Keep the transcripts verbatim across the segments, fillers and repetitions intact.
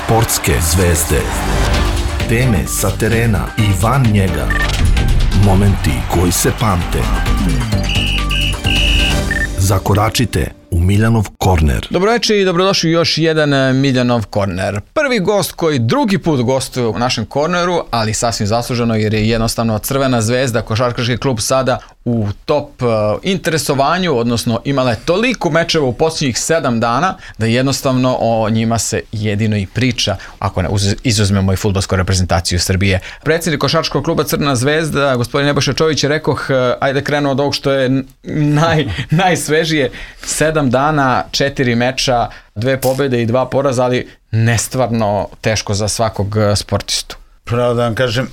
Sportske zvezde. Teme sa terena i van njega. Momenti koji se pamte. Zakoračite u Miljanov korner. Dobroveče i dobrodošli u još jedan Miljanov korner. Prvi gost koji drugi put gostuje u našem korneru, ali sasvim zasluženo jer je jednostavno Crvena zvezda, košarkaški klub sada u top uh, interesovanju, odnosno imala je toliko mečeva u posljednjih sedam dana da jednostavno o njima se jedino i priča, ako ne izuzmemo i fudbalsku reprezentaciju Srbije. Predsjednik košarkaškog kluba Crvena zvezda, gospodin Nebojša Čović, je rekao, ajde krenuo od ovog što je naj, najsvežije, sedam dana, četiri meča, dve pobjede i dva poraza, ali nestvarno teško za svakog sportistu. Pravo da vam kažem,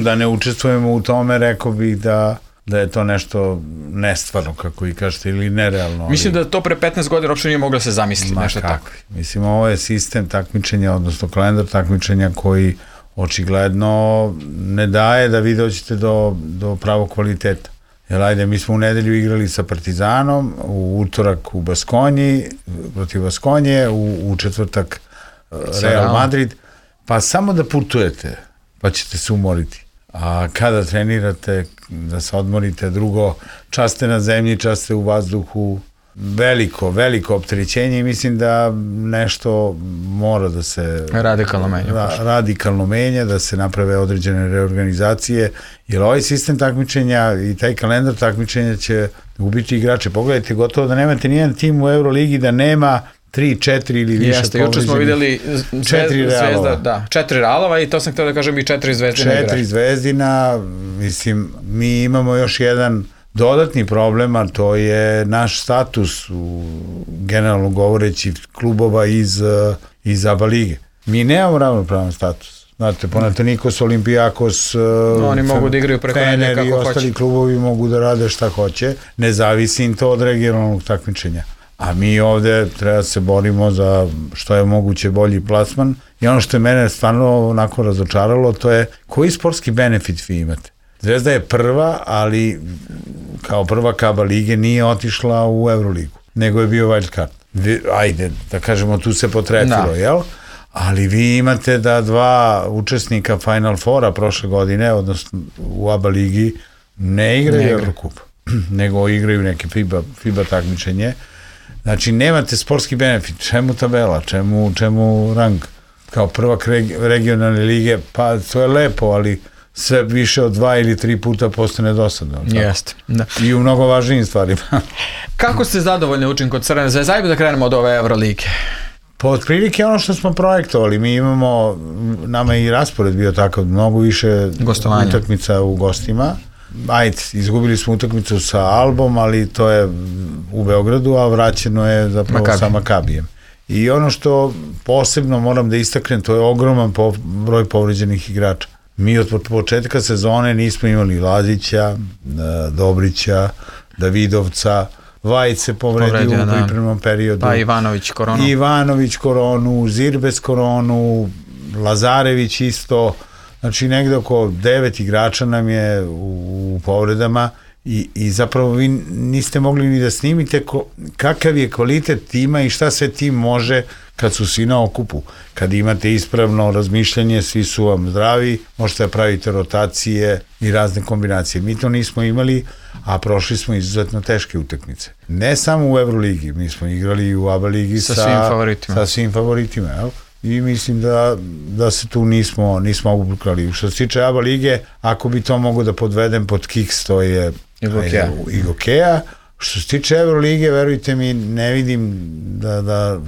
da ne učestvujemo u tome, rekao bih da da je to nešto nestvarno, kako i kažete, ili nerealno. Mislim da to pre petnaest godina uopšte nije moglo se zamisliti, nešto tako. Mislim, ovo je sistem takmičenja, odnosno kalendar takmičenja koji očigledno ne daje da vi dođete do, do pravog kvaliteta. Jer ajde, mi smo u nedelju igrali sa Partizanom, u utorak u Baskonji, protiv Baskonje, u, u četvrtak Real Madrid, pa samo da putujete, pa ćete se umoriti. A kada trenirate, da se odmorite, drugo, čas ste na zemlji, čas ste u vazduhu, veliko, veliko opterećenje i mislim da nešto mora da se radikalno menja, ra, radikalno menja, da se naprave određene reorganizacije, jer ovaj sistem takmičenja i taj kalendar takmičenja će ubiti igrače. Pogledajte, gotovo da nemate nijedan tim u Euroligi da nema tri, četiri ili više Jeste, juče smo vidjeli četiri zvezda, da, četiri realova i to sam htio da kažem i četiri zvezdina četiri igrača. zvezdina, mislim, mi imamo još jedan dodatni problem, a to je naš status, u, generalno govoreći, klubova iz, iz A B A lige. Mi nemamo ravnopravan status. Znate, Panathinaikos, Olympiakos, no, oni mogu da igraju preko Fener kako i ostali hoće. Klubovi mogu da rade šta hoće. Ne zavisi im to od regionalnog takmičenja. A mi ovde treba da se borimo za što je moguće bolji plasman. I ono što je mene stvarno onako razočaralo, to je koji sportski benefit vi imate. Zvezda je prva, ali kao prva A B A lige nije otišla u Euroligu, nego je bio wild card. Ajde, da kažemo, tu se potrefilo, da. Jel? Ali vi imate da dva učesnika Final Fora prošle godine, odnosno u A B A ligi, ne igraju Eurocup, nego igraju neke FIBA, FIBA takmičenje. Znači, nemate sportski benefit. Čemu tabela? Čemu, čemu rang? Kao prvak regionalne lige, pa to je lepo, ali sve više od dva ili tri puta postane dosadno. Jeste. Da. I u mnogo važnijim stvarima. Kako ste zadovoljni učinkom Crvene zvezde? Ajde da krenemo od ove Eurolike. Po otprilike ono što smo projektovali, mi imamo, nama je i raspored bio takav, mnogo više gostovanja, utakmica u gostima. Ajde, izgubili smo utakmicu sa Albom, ali to je u Beogradu, a vraćeno je zapravo Makabi. sa Makabijem. I ono što posebno moram da istaknem, to je ogroman po, broj povređenih igrača. Mi od početka sezone nismo imali Lazića, Dobrića, Davidovca, Vajić se povredio u pripremnom periodu. Pa Ivanović koronu. Ivanović koronu, Zirbes koronu, Lazarević isto. Znači negde oko devet igrača nam je u, u povredama i, i zapravo vi niste mogli ni da snimite ko, kakav je kvalitet tima i šta sve tim može kad su svi na okupu. Kad imate ispravno razmišljanje, svi su vam zdravi, možete da pravite rotacije i razne kombinacije. Mi to nismo imali, a prošli smo izuzetno teške utakmice. Ne samo u Euroligi, mi smo igrali i u A B A ligi sa, sa svim favoritima. Sa svim favoritima, jel? I mislim da, da se tu nismo, nismo obukrali. Što se tiče A B A lige, ako bi to mogo da podvedem pod kiks, to je Igokeja. Što se tiče Eurolige, verujte mi, ne vidim da, da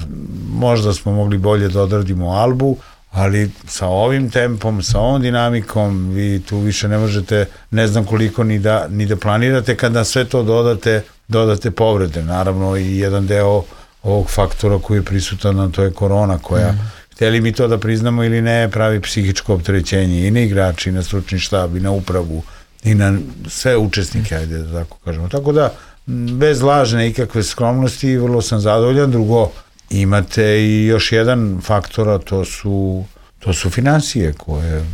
možda smo mogli bolje da odradimo Albu, ali sa ovim tempom, sa ovom dinamikom, vi tu više ne možete, ne znam koliko ni da, ni da planirate, kad na sve to dodate, dodate povrede. Naravno i jedan deo ovog faktora koji je prisutan, a to je korona koja, mm. hteli mi to da priznamo ili ne, pravi psihičko opterećenje i na igrači, i na stručni štab, i na upravu, i na sve učesnike, ajde da tako kažemo. Tako da, bez lažne ikakve skromnosti, vrlo sam zadovoljan. Drugo, imate i još jedan faktor, a to su, to su finansije koje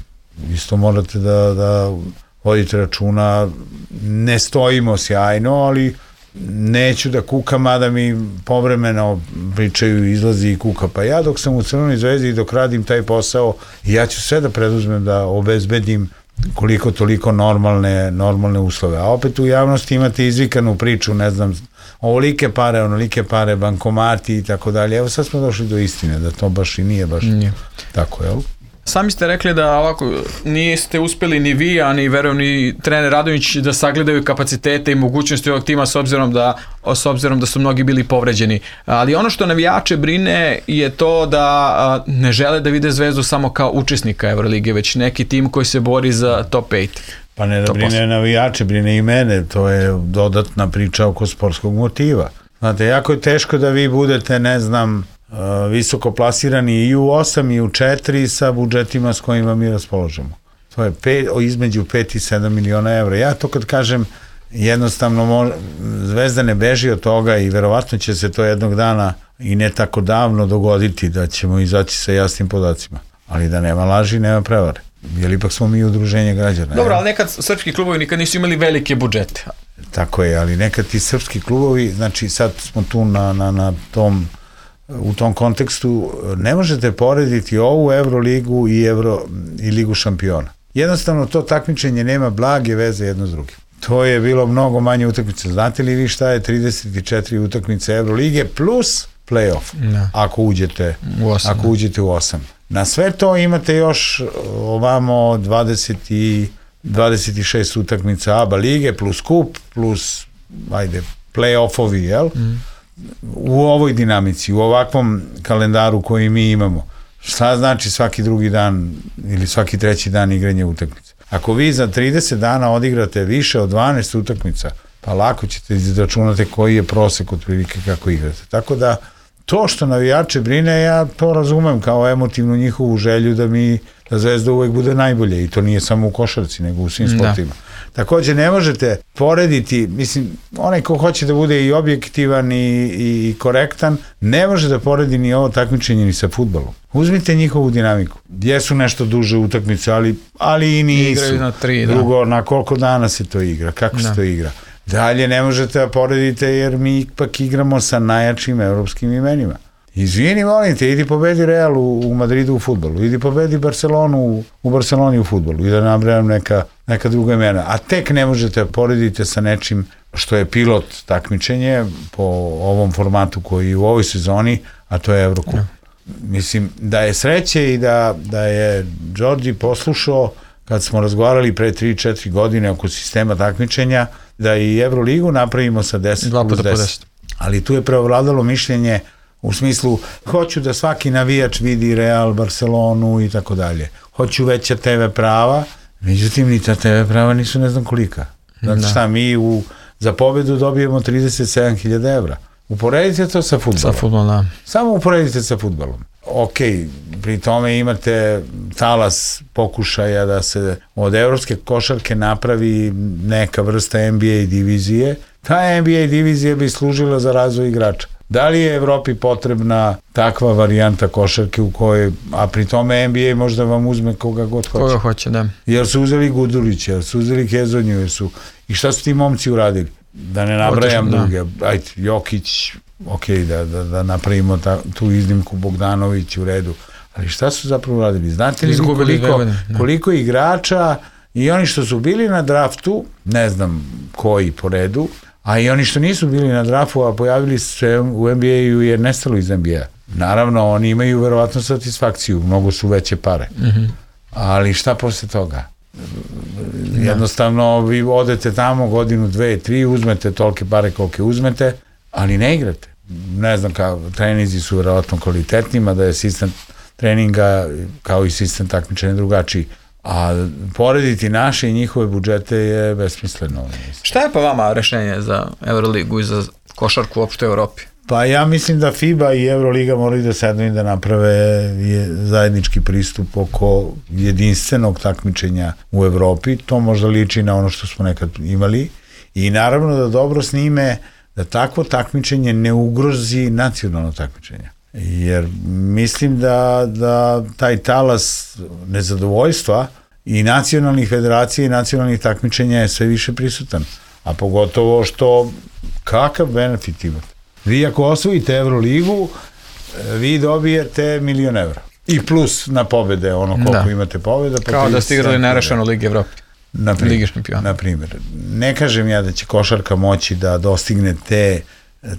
isto morate da, da vodite računa. Ne stojimo sjajno, ali neću da kukam, mada mi povremeno pričaju, izlazi i kuka, pa ja dok sam u Crvenoj zvezdi i dok radim taj posao, ja ću sve da preduzmem da obezbedim koliko toliko normalne, normalne uslove. A opet u javnosti imate izvikanu priču, ne znam, ovolike pare, onolike pare, bankomati i tako dalje. Evo sad smo došli do istine, da to baš i nije baš nije. Tako, jel? Sami ste rekli da ovako niste uspeli ni vi, a ni verujem ni trener Radonjić da sagledaju kapacitete i mogućnosti ovog tima s obzirom da, s obzirom da su mnogi bili povređeni. Ali ono što navijače brine je to da ne žele da vide Zvezdu samo kao učesnika Evrolige, već neki tim koji se bori za top pet. Pa ne da brine posle. Navijače, brine i mene, to je dodatna priča oko sportskog motiva. Znate, jako je teško da vi budete, ne znam, visoko plasirani i u osam i u četiri sa budžetima s kojima mi raspoložemo. To je pet, između pet i sedam miliona evra. Ja to kad kažem, jednostavno Zvezda ne beži od toga i verovatno će se to jednog dana i ne tako davno dogoditi da ćemo izaći sa jasnim podacima. Ali da nema laži, nema prevare. Jer ipak smo mi udruženje građana. Dobro, ali nekad srpski klubovi nikad nisu imali velike budžete. Tako je, ali nekad ti srpski klubovi, znači sad smo tu na, na, na tom u tom kontekstu ne možete porediti ovu Evroligu i, Evro, i Ligu šampiona. Jednostavno to takmičenje nema blage veze jedno s drugim. To je bilo mnogo manje utakmice. Znate li vi šta je trideset četiri utakmice Evrolige plus play-off, no. ako uđete u osam, ako uđete u osam. Na sve to imate još ovamo dvadeset i dvadeset šest utakmica A B A lige plus kup plus ajde play-offovi, jel? Mm. U ovoj dinamici, u ovakvom kalendaru koji mi imamo, šta znači svaki drugi dan ili svaki treći dan igranja utakmica? Ako vi za trideset dana odigrate više od dvanaest utakmica, pa lako ćete izračunati koji je prosek otprilike kako igrate. Tako da, to što navijače brine, ja to razumem kao emotivnu njihovu želju da mi, da Zvezda uvek bude najbolje i to nije samo u košarci, nego u svim sportima. Takođe, ne možete porediti, mislim, onaj ko hoće da bude i objektivan i, i korektan, ne može da poredi ni ovo takmičenje ni sa fudbalom. Uzmite njihovu dinamiku. Jesu nešto duže utakmice, ali, ali i nisu. Na tri, Drugo, na koliko dana se to igra, kako da. se to igra. Dalje ne možete da poredite jer mi ipak igramo sa najjačim evropskim imenima. Izvini, molim te, idi pobedi Real u, u Madridu u fudbalu, idi pobedi Barcelonu u, u Barceloni u fudbalu i da nabrajam neka, neka druga imena. A tek ne možete porediti sa nečim što je pilot takmičenje po ovom formatu koji je u ovoj sezoni, a to je Evrokup. Ja. Mislim, da je sreće i da, da je Đorđi poslušao kad smo razgovarali pre tri četiri godine oko sistema takmičenja, da i Evroligu napravimo sa deset plus deset. Ali tu je preovladalo mišljenje u smislu, hoću da svaki navijač vidi Real, Barcelonu i tako dalje. Hoću veća te ve prava, međutim ni ta te ve prava nisu ne znam kolika. Znači šta, mi u, za pobedu dobijemo trideset sedam hiljada evra. Uporedite to sa fudbalom. Sa fudbalom, da. Samo uporedite sa fudbalom. Ok, pri tome imate talas pokušaja da se od evropske košarke napravi neka vrsta N B A divizije. Ta N B A divizija bi služila za razvoj igrača. Da li je Evropi potrebna takva varijanta košarke u kojoj, a pri tome N B A možda vam uzme koga god hoće. Koga hoće, da. Jer su uzeli Gudulića, jer su uzeli Hezonju, jer su, i šta su ti momci uradili? Da ne nabrajam druge, ajde, Jokić, ok, da, da, da napravimo ta, tu iznimku, Bogdanović u redu, ali šta su zapravo uradili? Znate li koliko, koliko igrača i oni što su bili na draftu, ne znam koji po redu, a i oni što nisu bili na draftu, a pojavili se u N B A-u jer nestalo iz N B A. Naravno, oni imaju verovatno satisfakciju, mnogo su veće pare. Mm-hmm. Ali šta posle toga? Jednostavno, vi odete tamo godinu, dve, tri, uzmete tolike pare kolike uzmete, ali ne igrate. Ne znam, kao, treninzi su verovatno kvalitetnima, da je sistem treninga kao i sistem takmičenja drugačiji. A porediti naše i njihove budžete je besmisleno. Šta je pa vama rešenje za Euroligu i za košarku uopšte u Evropi? Pa ja mislim da FIBA i Euroliga moraju da sednu i da naprave zajednički pristup oko jedinstvenog takmičenja u Evropi. To možda liči na ono što smo nekad imali. I naravno da dobro snime da takvo takmičenje ne ugrozi nacionalno takmičenje. Jer mislim da, da taj talas nezadovoljstva i nacionalnih federacija i nacionalnih takmičenja je sve više prisutan. a pogotovo što kakav benefit imate. Vi ako osvojite Euroligu, vi dobijete milion evra. I plus na pobede, ono koliko da. imate pobeda. Kao da ste igrali nerešeno Ligi Evrope. Na primjer, na primjer. Ne kažem ja da će košarka moći da dostigne te,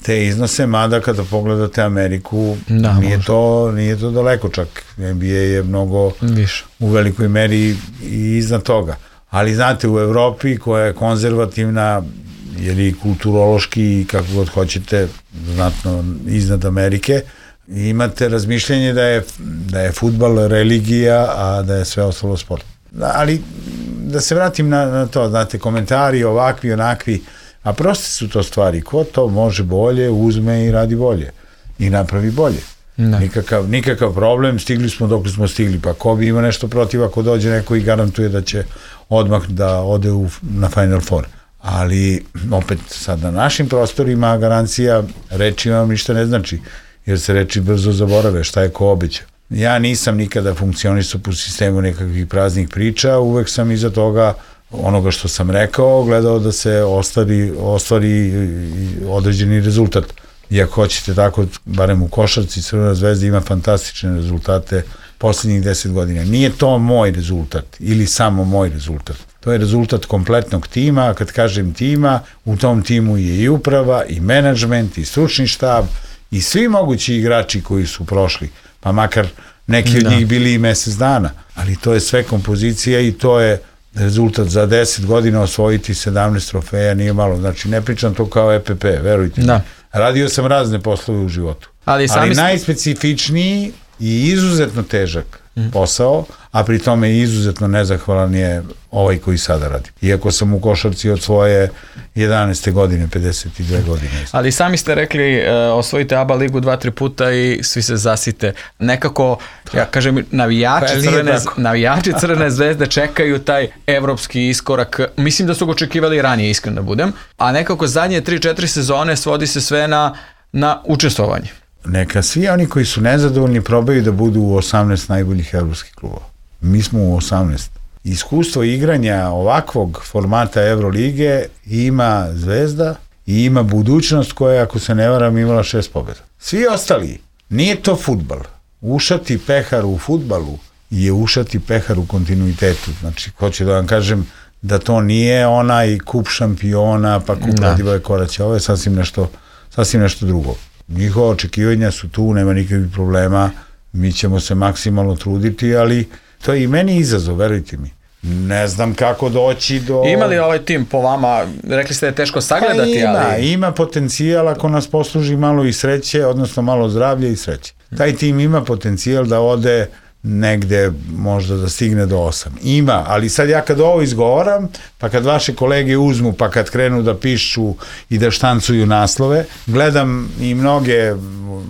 te iznose, mada kada pogledate Ameriku, da, nije, to, nije to daleko, čak N B A je mnogo više. U velikoj meri i iznad toga. Ali znate, u Evropi koja je konzervativna, jer i kulturološki i kako god hoćete, znatno iznad Amerike, imate razmišljanje da je, da je fudbal religija, a da je sve ostalo sport. Ali da se vratim na, na to, znate, komentari ovakvi, onakvi, a proste su to stvari, ko to može bolje, uzme i radi bolje i napravi bolje. Nikakav, nikakav problem, stigli smo dok smo stigli, pa ko bi ima nešto protiv ako dođe neko i garantuje da će odmah da ode u, na Final Four. Ali opet sad na našim prostorima garancija reči vam ništa ne znači, jer se reči brzo zaborave, šta je ko obeća. Ja nisam nikada funkcionisao po sistemu nekakvih praznih priča, uvek sam iza toga onoga što sam rekao gledao da se ostvari, ostvari određeni rezultat. I ako hoćete tako, barem u košarci, Crvena zvezda ima fantastične rezultate poslednjih deset godina. Nije to moj rezultat ili samo moj rezultat. To je rezultat kompletnog tima, a kad kažem tima, u tom timu je i uprava, i menadžment, i stručni štab, i svi mogući igrači koji su prošli, pa makar neki od da. njih bili i mesec dana, ali to je sve kompozicija i to je rezultat za deset godina osvojiti sedamnaest trofeja, nije malo, znači ne pričam to kao E P P, verujte da. mi. Radio sam razne poslove u životu, ali, ali najspecifičniji i izuzetno težak mm. posao, a pri tome izuzetno nezahvalan je ovaj koji sada radi. Iako sam u košarci od svoje jedanaeste godine, pedeset dve godine. Ali sami ste rekli, uh, osvojite A B A ligu dva, tri puta i svi se zasite. Nekako, ja kažem, navijači, pa, crvene, navijači Crvene zvezde čekaju taj evropski iskorak. Mislim da su ga očekivali ranije, iskreno da budem. A nekako zadnje tri četiri sezone svodi se sve na, na učestvovanje. Neka svi oni koji su nezadovoljni probaju da budu u osamnaest najboljih evropskih klubova. Mi smo u osamnaest. Iskustvo igranja ovakvog formata Evrolige ima Zvezda i ima budućnost koja, ako se ne varam, imala šest pobjeda. Svi ostali, nije to fudbal. Ušati pehar u fudbalu je ušati pehar u kontinuitetu. Znači, hoću da vam kažem da to nije onaj kup šampiona, pa kup Radivoje Koraća. Ovo je sasvim nešto, sasvim nešto drugo. Njihova očekivanja su tu, nema nikakvih problema, mi ćemo se maksimalno truditi, ali to je i meni izazov, verujte mi. Ne znam kako doći do... Ima li ovaj tim po vama, rekli ste da je teško sagledati, pa ima, ali... Ima potencijal ako nas posluži malo i sreće, odnosno malo zdravlja i sreće. Taj tim ima potencijal da ode negde možda da stigne do osam. Ima, ali sad ja kad ovo izgovaram, pa kad vaše kolege uzmu, pa kad krenu da pišu i da štancuju naslove, gledam i mnoge,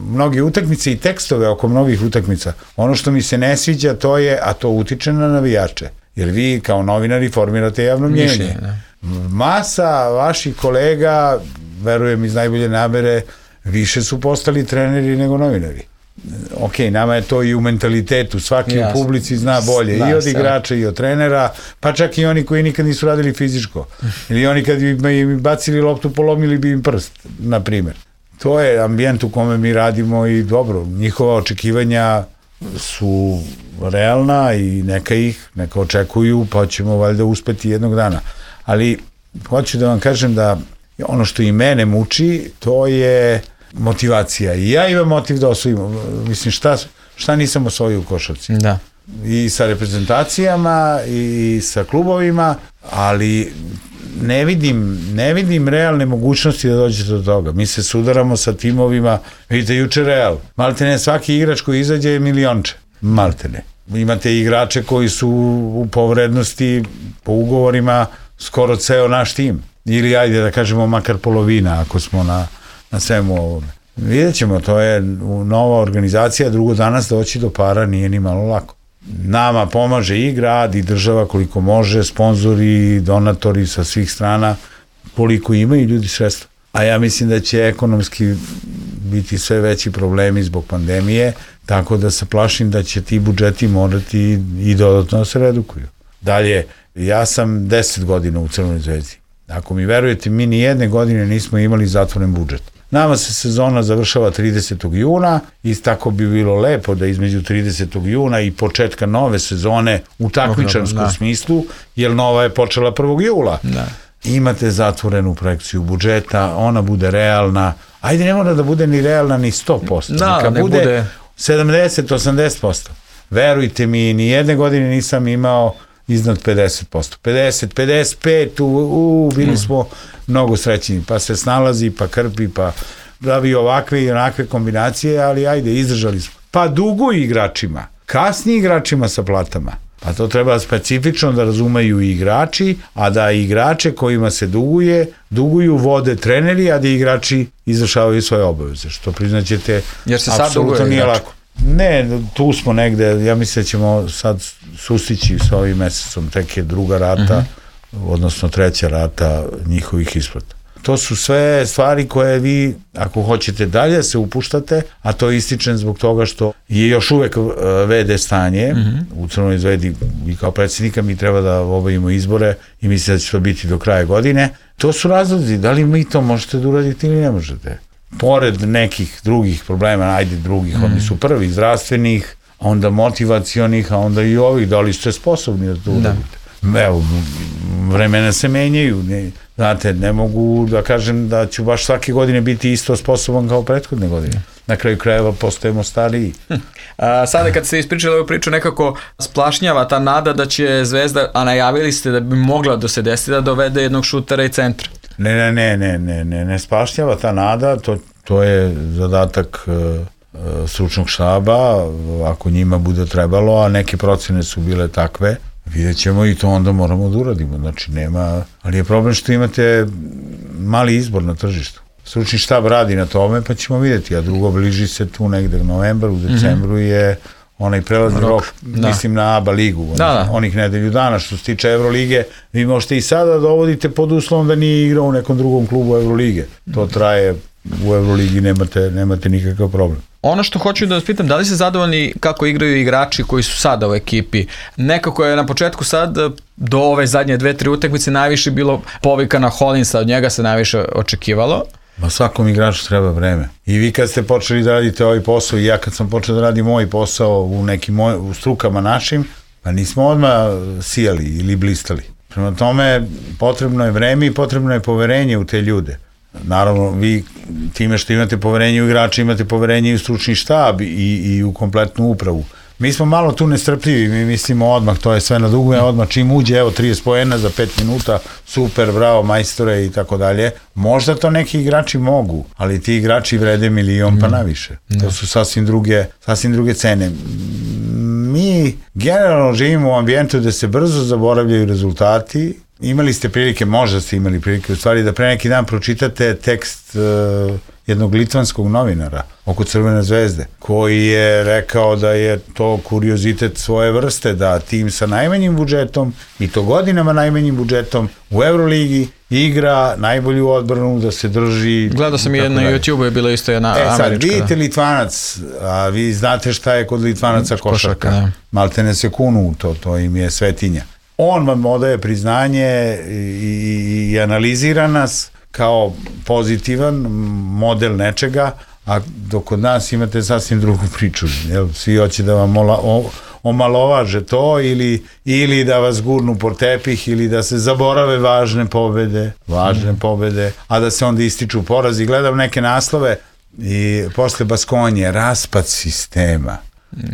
mnoge utakmice i tekstove oko mnogih utakmica. Ono što mi se ne sviđa to je, a to utiče na navijače, jer vi kao novinari formirate javno mnjenje. Masa vaših kolega, verujem iz najbolje namere, više su postali treneri nego novinari. Ok, nama je to i u mentalitetu, svaki Jasne. u publici zna bolje, zna, i od igrača i od trenera, pa čak i oni koji nikad nisu radili fizičko, ili oni kad bi im bacili loptu polomili bi im prst, na primjer. To je ambijent u kome mi radimo i dobro, njihova očekivanja su realna i neka ih, neka očekuju, pa ćemo valjda uspeti jednog dana. Ali hoću da vam kažem da ono što i mene muči, to je motivacija. I ja imam motiv da osvojim. Mislim, šta, šta nisam osvojio u košarci? Da. I sa reprezentacijama i sa klubovima, ali ne vidim, ne vidim realne mogućnosti da dođete do toga. Mi se sudaramo sa timovima, vidite juče Real. Maltene, svaki igrač koji izađe je milionče. Maltene. Imate igrače koji su u povrednosti po ugovorima skoro ceo naš tim. Ili ajde da kažemo makar polovina ako smo na na svemu ovome. Vidjet ćemo, to je nova organizacija, drugo danas doći do para nije ni malo lako. Nama pomaže i grad i država koliko može, sponzori, donatori sa svih strana, koliko imaju ljudi sredstva. A ja mislim da će ekonomski biti sve veći problemi zbog pandemije, tako da se plašim da će ti budžeti morati i dodatno da se redukuju. Dalje, ja sam deset godina u Crvenoj zvezdi Ako mi verujete, mi ni jedne godine nismo imali zatvoren budžet. Nama se sezona završava tridesetog juna i tako bi bilo lepo da između tridesetog juna i početka nove sezone u takmičarskom smislu, jer nova je počela prvog jula. Da. Imate zatvorenu projekciju budžeta, ona bude realna, ajde ne mora da bude ni realna ni sto posto, da, neka bude, bude sedamdeset do osamdeset posto. Verujte mi, ni jedne godine nisam imao iznad pedeset posto. pedeset, pedeset pet, u, u, bili smo mnogo srećni, pa se snalazi, pa krpi, pa pravi ovakve i onakve kombinacije, ali ajde, izdržali smo. Pa dugo igračima, kasni igračima sa platama, pa to treba specifično da razumeju i igrači, a da igrače kojima se duguje, duguju vode treneri, a da igrači izvršavaju svoje obaveze, što priznaćete, apsolutno nije lako. Ne, tu smo negde, ja mislim da ćemo sad sustići sa ovim mesecom, tek je druga rata, uh-huh. odnosno treća rata njihovih isplata. To su sve stvari koje vi, ako hoćete dalje, se upuštate, a to ističem zbog toga što je još uvek ve de stanje uh-huh. u Crvenoj zvezdi i kao predsjednika mi treba da obavimo izbore i mislim da će to biti do kraja godine. To su razlozi, da li mi to možete da uradite ili ne možete. Pored nekih drugih problema, ajde drugih, mm. oni su prvi, zdravstvenih, onda motivacionih, a onda i ovih, da li ste sposobni da to uradite. Evo, vremena se menjaju, ne, znate, ne mogu da kažem da ću baš svake godine biti isto sposoban kao prethodne godine. Na kraju krajeva postajemo stariji. Hm. A, sada kad ste ispričali ovu priču, nekako splašnjava ta nada da će Zvezda, a najavili ste da bi mogla da se desi da dovede jednog šutera i centra. Ne, ne, ne, ne, ne, ne, ne spašnjava ta nada, to, to je zadatak uh, stručnog štaba, ako njima bude trebalo, a neke procene su bile takve, vidjet ćemo i to onda moramo da uradimo, znači nema, ali je problem što imate mali izbor na tržištu. Stručni štab radi na tome, pa ćemo vidjeti, a drugo bliži se tu negde u novembru, u decembru je onaj prelazni rok, rok da. Mislim na A B A ligu, onih, da, da. onih nedelju dana, što se tiče Evrolige, vi možete i sada dovodite pod uslovom da nije igrao u nekom drugom klubu Evrolige. To traje, u Evroligi nemate, nemate nikakav problem. Ono što hoću da vas pitam, da li ste zadovoljni kako igraju igrači koji su sada u ekipi? Nekako je na početku sad, do ove zadnje dve, tri utakmice najviše bilo povika na Hollinsa, od njega se najviše očekivalo. Ma svakom igraču treba vreme. I vi kad ste počeli da radite ovaj posao i ja kad sam počeo da radim moj posao u nekim moj, u strukama našim, pa nismo odmah sijali ili blistali. Prema tome potrebno je vreme i potrebno je poverenje u te ljude. Naravno, vi time što imate poverenje u igrača, imate poverenje i u stručni štab i, i u kompletnu upravu. Mi smo malo tu nestrpljivi, mi mislimo odmah, to je sve na dugme, odmah čim uđe, evo trideset poena za pet minuta, super, bravo, majstore i tako dalje. Možda to neki igrači mogu, ali ti igrači vrede milion pa naviše. To su sasvim druge, sasvim druge cene. Mi generalno živimo u ambijentu da se brzo zaboravljaju rezultati. Imali ste prilike, možda ste imali prilike u stvari da pre neki dan pročitate tekst uh, jednog litvanskog novinara oko Crvene zvezde, koji je rekao da je to kuriozitet svoje vrste, da tim sa najmanjim budžetom i to godinama najmanjim budžetom u Euroligi igra najbolju odbranu, da se drži. Gledao sam i na YouTube-u je bilo isto jedna e, američka. E sad, vidite Litvanac, a vi znate šta je kod Litvanaca košarka. košarka Maltene se kunu, to, to im je svetinja. On vam odaje priznanje i, i, i analizira nas kao pozitivan model nečega, a dok kod nas imate sasvim drugu priču. Jel? Svi hoće da vam ola, o, omalovaže to ili, ili da vas gurnu po tepih ili da se zaborave važne pobede, važne mm. pobede, a da se onda ističu porazi. Gledam neke naslove i posle Baskonje, raspad sistema.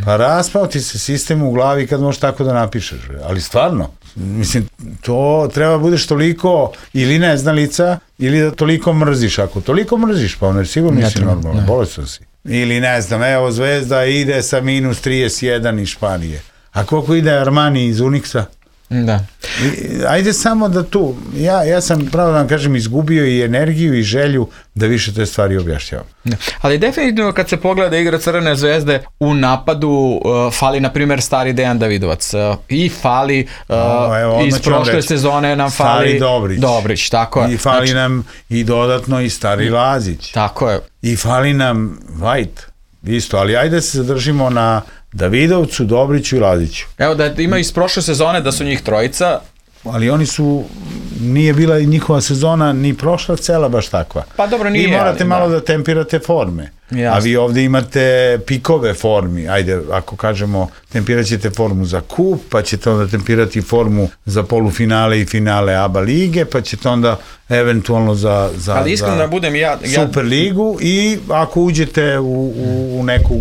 Pa raspao ti se sistem u glavi kad možeš tako da napišeš, ali stvarno, mislim, to treba budeš toliko ili neznalica, ili da toliko mrziš, ako toliko mrziš, pa ono je sigurno nisi normalno, bolestan si. Ili ne znam, evo Zvezda ide sa minus trideset jedan iz Španije, a koliko ide Armani iz Unixa? Da. I, ajde samo da tu, ja, ja sam pravo da vam kažem izgubio i energiju i želju da više te stvari objašnjavam. Da. Ali definitivno kad se pogleda igra Crvene zvezde u napadu uh, fali na primjer stari Dejan Davidovac uh, i fali uh, no, evo, iz prošle sezone nam fali Dobrić. Dobrić, tako je. I fali znači, nam i dodatno i stari Lazić. Tako je. I fali nam White. Isto, ali ajde se zadržimo na Davidovcu, Dobriću i Laziću. Evo da ima iz prošle sezone da su njih trojica, ali oni su, nije bila njihova sezona ni prošla cela baš takva. Pa dobro, nije. I morate ali, malo da. da tempirate forme. Jasne. A vi ovde imate pikove formi. Ajde, ako kažemo, tempirat ćete formu za kup, pa ćete onda tempirati formu za polufinale i finale A B A lige, pa ćete onda eventualno za, za, ali iskreno za da budem ja, ja... Super ligu i ako uđete u, u, u neku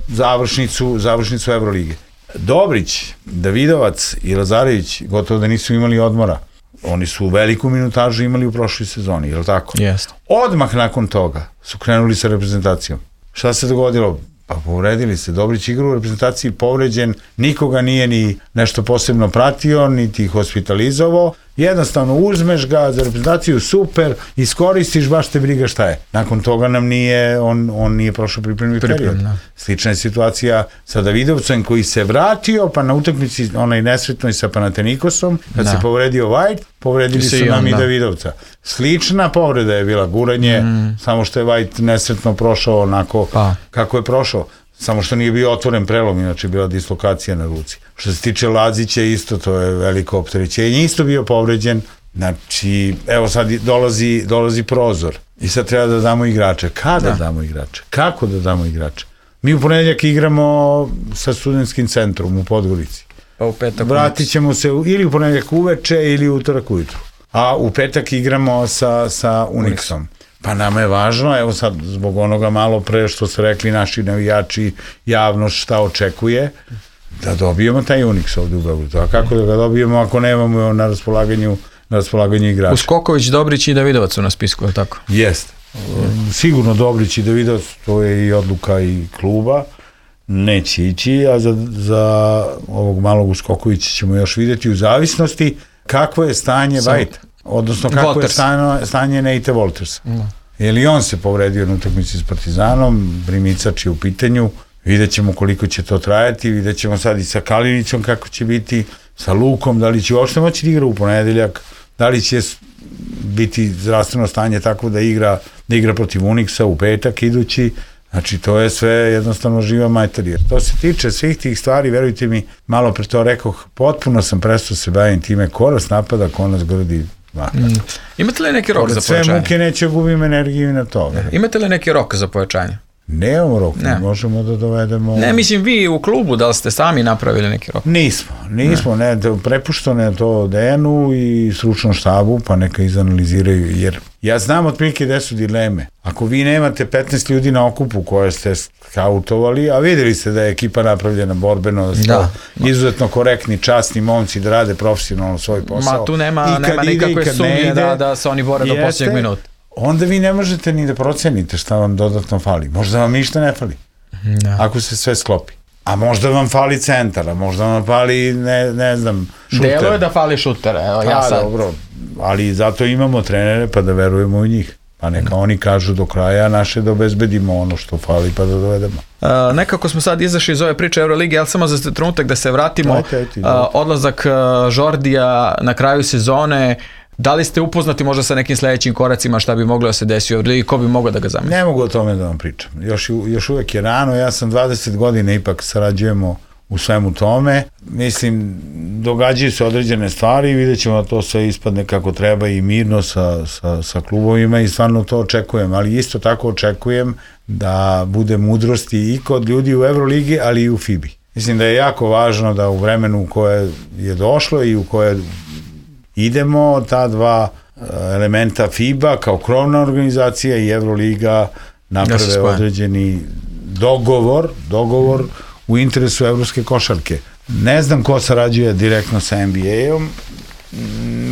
završnicu, završnicu Evrolige. Dobrić, Davidovac i Lazarević gotovo da nisu imali odmora. Oni su veliku minutažu imali u prošloj sezoni, je li tako? Jeste. Odmah nakon toga su krenuli sa reprezentacijom. Šta se dogodilo? Pa povredili se. Dobrić igra u reprezentaciji povređen, nikoga nije ni nešto posebno pratio, niti hospitalizovao. Jednostavno uzmeš ga za reprezentaciju, super, iskoristiš, baš te briga šta je. Nakon toga nam nije, on, on nije prošao pripremni period. Slična je situacija sa Davidovcem koji se vratio, pa na utakmici onaj nesretnoj sa Panatenikosom, kad da. se povredio White, povredili su nam i Davidovca. Slična povreda je bila guranje, mm. samo što je White nesretno prošao onako pa. kako je prošao. Samo što nije bio otvoren prelom, inače bila dislokacija na ruci. Što se tiče Lazića, isto to je veliko opterećenje, isto bio povređen. Znači, evo sad dolazi, dolazi prozor i sad treba da damo igrače. Kada da. damo igrače? Kako da damo igrače? Mi u ponedeljak igramo sa studentskim centrom u Podgorici. Pa u petak. Vratit ćemo se ili u ponedeljak uveče ili utorak ujutru. A u petak igramo sa, sa Unixom. Pa nama je važno, evo sad zbog onoga malo pre što su rekli naši navijači, javnost šta očekuje, da dobijemo taj Unix ovde u Beogradu. A kako da ga dobijemo ako nemamo na raspolaganju, na raspolaganju igrača? Uskoković, Dobrić i Davidovac su na spisku, je tako? Jeste. Sigurno Dobrić i Davidovac, to je i odluka i kluba, neće ići, a za, za ovog malog Uskokovića ćemo još vidjeti u zavisnosti kakvo je stanje Vajta. Odnosno kako Walters. je stanje, stanje Nate Waltersa. No. Jer i on se povredio na utakmici s Partizanom, Brimicač je u pitanju, vidjet ćemo koliko će to trajati, vidjet ćemo sad i sa Kalinićom kako će biti, sa Lukom, da li će uopšte moći da igra u ponedeljak, da li će biti zdravstveno stanje tako da igra, da igra protiv Unixa u petak idući. Znači, to je sve jednostavno živa materija. To se tiče svih tih stvari, verujte mi, malo pre to rekoh, potpuno sam prestao se bavim time, ko nas napada, ko nas grdi. Mm. Imate li neki rok Pored za pojačanje? Sve muke neće gubim energiju na to. Ne. Imate li neki rok za pojačanje? Nemamo rok, ne. možemo da dovedemo... Ne, mislim vi u klubu, da li ste sami napravili neki rok? Nismo, nismo, ne, ne prepušteno je to Dejanu i stručnom štabu, pa neka izanaliziraju, jer ja znam otprilike gde su dileme. Ako vi nemate petnaest ljudi na okupu koje ste skautovali, a videli ste da je ekipa napravljena borbeno, da su da. izuzetno korektni, časni momci da rade profesionalno svoj posao. Ma tu nema, nema nikakve sumnje da, da se oni bore do posljednjeg minuta. Onda vi ne možete ni da procenite šta vam dodatno fali. Možda vam ništa ne fali. Da. Ako se sve sklopi. A možda vam fali centar, a možda vam fali, ne, ne znam, šuter. Delo je da fali šuter, evo, ja sad. Dobro, ali zato imamo trenere pa da verujemo u njih. Pa neka oni kažu do kraja naše da obezbedimo ono što fali pa da dovedemo. Uh, nekako smo sad izašli iz ove priče Eurolige, ali samo za trenutak da se vratimo. Ajte, ajte, uh, odlazak uh, Žordija na kraju sezone. Da li ste upoznati možda sa nekim sledećim koracima šta bi moglo da se desi ovdje i ko bi mogao da ga zamisli? Ne mogu o tome da vam pričam. Još, još uvek je rano, ja sam dvadeset godina ipak sarađujemo u svemu tome. Mislim, događaju se određene stvari i vidjet ćemo da to sve ispadne kako treba i mirno sa, sa, sa klubovima i stvarno to očekujem, ali isto tako očekujem da bude mudrosti i kod ljudi u Euroligi, ali i u FIBI. Mislim da je jako važno da u vremenu u koje je došlo i u koje idemo, ta dva elementa FIBA kao krovna organizacija i Euroliga naprave ja određeni dogovor, dogovor u interesu evropske košarke. Ne znam ko sarađuje direktno sa N B A-om,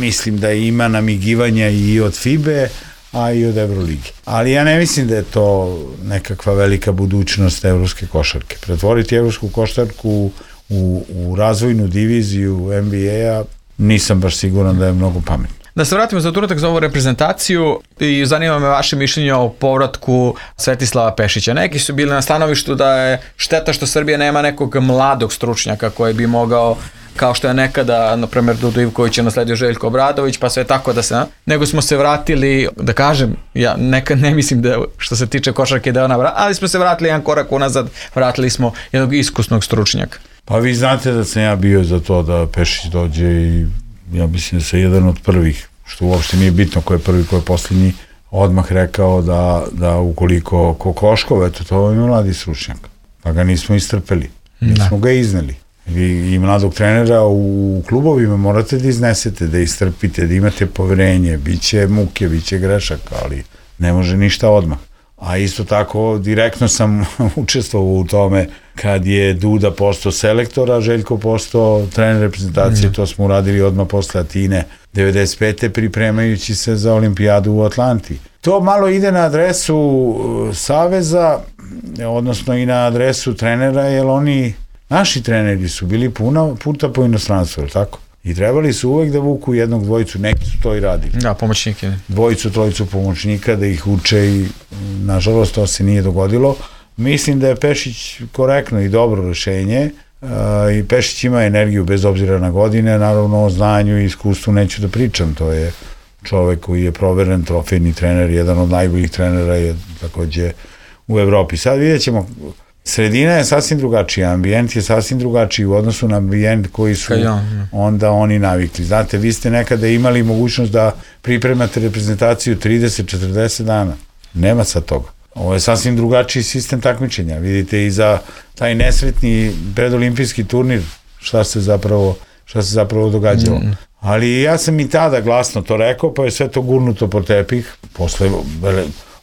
mislim da ima namigivanja i od FIBE, a i od Euroligi. Ali ja ne mislim da je to nekakva velika budućnost evropske košarke. Pretvoriti evropsku košarku u, u razvojnu diviziju N B A-a nisam baš siguran da je mnogo pametno. Da se vratimo za trenutak za ovu reprezentaciju i zanima me vaše mišljenje o povratku Svetislava Pešića. Neki su bili na stanovištu da je šteta što Srbija nema nekog mladog stručnjaka koji bi mogao, kao što je nekada, na primjer, Dudu Ivković je nasledio Željko Obradović, pa sve tako da se, nego smo se vratili, da kažem, ja nekad ne mislim da što se tiče košarke da je ona, ali smo se vratili jedan korak unazad, vratili smo jednog iskusnog stručnjaka. Pa vi znate da sam ja bio za to da Pešić dođe i ja mislim da se jedan od prvih, što uopšte nije bitno ko je prvi, ko je posljednji, odmah rekao da, da ukoliko Kokoškov, eto to je mladi stručnjak, pa ga nismo istrpeli, nismo ga izneli. Vi i mladog trenera u klubovima morate da iznesete, da istrpite, da imate poverenje, bit će muke, bit će grešaka, ali ne može ništa odmah. A isto tako, direktno sam učestvovao u tome kad je Duda postao selektor, a Željko postao trener reprezentacije, mm. to smo uradili odmah posle Atine devedeset pete pripremajući se za olimpijadu u Atlanti. To malo ide na adresu saveza, odnosno i na adresu trenera, jer oni, naši treneri su bili puno puta po inostranstvu, tako? I trebali su uvek da vuku jednog dvojicu, neki su to i radili. Da, pomoćnike. Dvojicu, trojicu pomoćnika, da ih uče i nažalost to se nije dogodilo. Mislim da je Pešić korektno i dobro rešenje uh, i Pešić ima energiju bez obzira na godine, naravno o znanju i iskustvu neću da pričam, to je čovek koji je proveren trofejni trener, jedan od najboljih trenera je takođe u Evropi. Sad vidjet ćemo, sredina je sasvim drugačija, ambijent je sasvim drugačiji u odnosu na ambijent koji su onda oni navikli. Znate, vi ste nekada imali mogućnost da pripremate reprezentaciju trideset do četrdeset dana. Nema sad toga. Ovo je sasvim drugačiji sistem takmičenja. Vidite i za taj nesretni predolimpijski turnir šta se zapravo, šta se zapravo događalo. Mm. Ali ja sam i tada glasno to rekao, pa je sve to gurnuto po tepih. Posle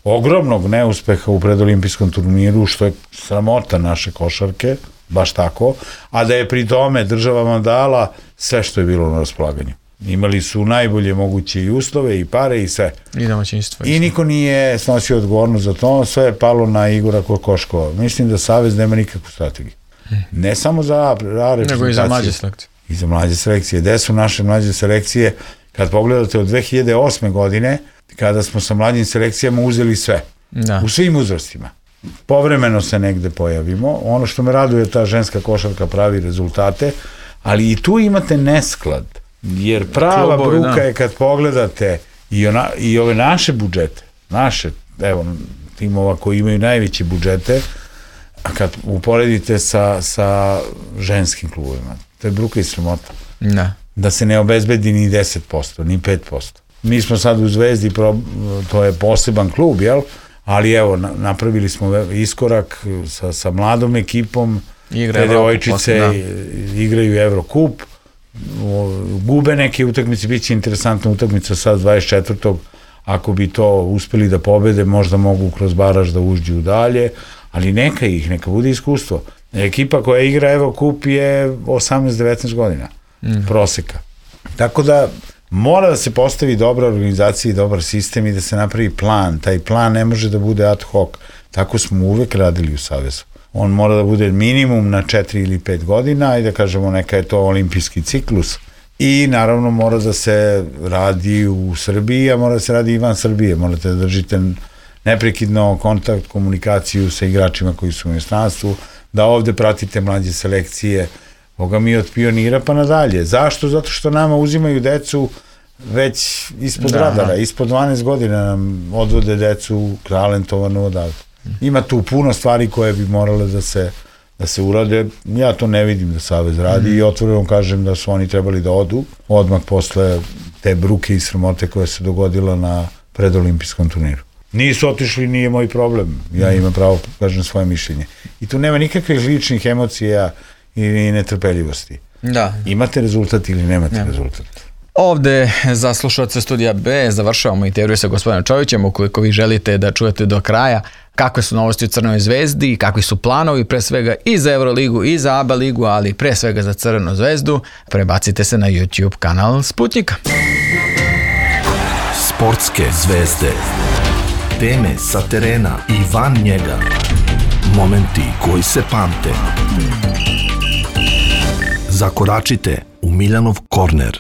ogromnog neuspeha u predolimpijskom turniru, što je sramota naše košarke, baš tako, a da je pri tome država vam dala sve što je bilo na raspolaganju. Imali su najbolje moguće i uslove i pare i sve. I domaćinstvo. I niko nije snosio odgovornost za to, sve je palo na Igora Kokoškova. Mislim da Savez nema nikakvu strategiju. Ne samo za A reprezentaciju. Nego i za mlađe selekcije. I za mlađe selekcije. Gde su naše mlađe selekcije? Kad pogledate od dve hiljade osme godine, kada smo sa mlađim selekcijama uzeli sve. Da. U svim uzrastima. Povremeno se negde pojavimo. Ono što me raduje je ta ženska košarka pravi rezultate, ali i tu imate nesklad. Jer prava Klubovi, bruka da. je kad pogledate i, ona, i ove naše budžete, naše, evo, timova koji imaju najveće budžete, a kad uporedite sa, sa ženskim klubovima, to je bruka i sramota. Da. Da se ne obezbedi ni deset posto, ni pet posto. Mi smo sad u Zvezdi, to je poseban klub, jel? Ali evo, napravili smo iskorak sa, sa mladom ekipom, te devojčice igraju Evrokup, gube neke utakmice, bit će interesantna utakmica sad dvadeset četvrtog ako bi to uspeli da pobede, možda mogu kroz baraž da uđu dalje, ali neka ih, neka bude iskustvo. Ekipa koja igra Evrokup je osamnaest devetnaest godina mm. proseka. Tako da mora da se postavi dobra organizacija i dobar sistem i da se napravi plan. Taj plan ne može da bude ad hoc. Tako smo uvek radili u Savezu. On mora da bude minimum na četiri ili pet godina i da kažemo neka je to olimpijski ciklus. I naravno mora da se radi u Srbiji, a mora da se radi i van Srbije. Morate da držite neprekidno kontakt, komunikaciju sa igračima koji su u inostranstvu, da ovde pratite mlađe selekcije, Boga mi od pionira pa nadalje. Zašto? Zato što nama uzimaju decu već ispod da, radara, ispod dvanaest godina nam odvode decu talentovanu odavde. Ima tu puno stvari koje bi morale da se, da se urade. Ja to ne vidim da Savez radi mm. i otvoreno kažem da su oni trebali da odu odmah posle te bruke i sramote koja se dogodila na predolimpijskom turniru. Nisu otišli, nije moj problem. Ja imam pravo, kažem, svoje mišljenje. I tu nema nikakvih ličnih emocija i netrpeljivosti. Da. Imate rezultat ili nemate ja. rezultat. Ovde za slušalce Studija B završavamo intervju sa gospodinom Čovićem. Ukoliko vi želite da čujete do kraja kakve su novosti u Crvenoj zvezdi i kakvi su planovi pre svega i za Euroligu i za A B A ligu, ali pre svega za Crvenu zvezdu, prebacite se na YouTube kanal Sputnjika. Sportske zvezde. Teme sa terena i van njega. Momenti koji se pamte. Zakoračite u Miljanov korner.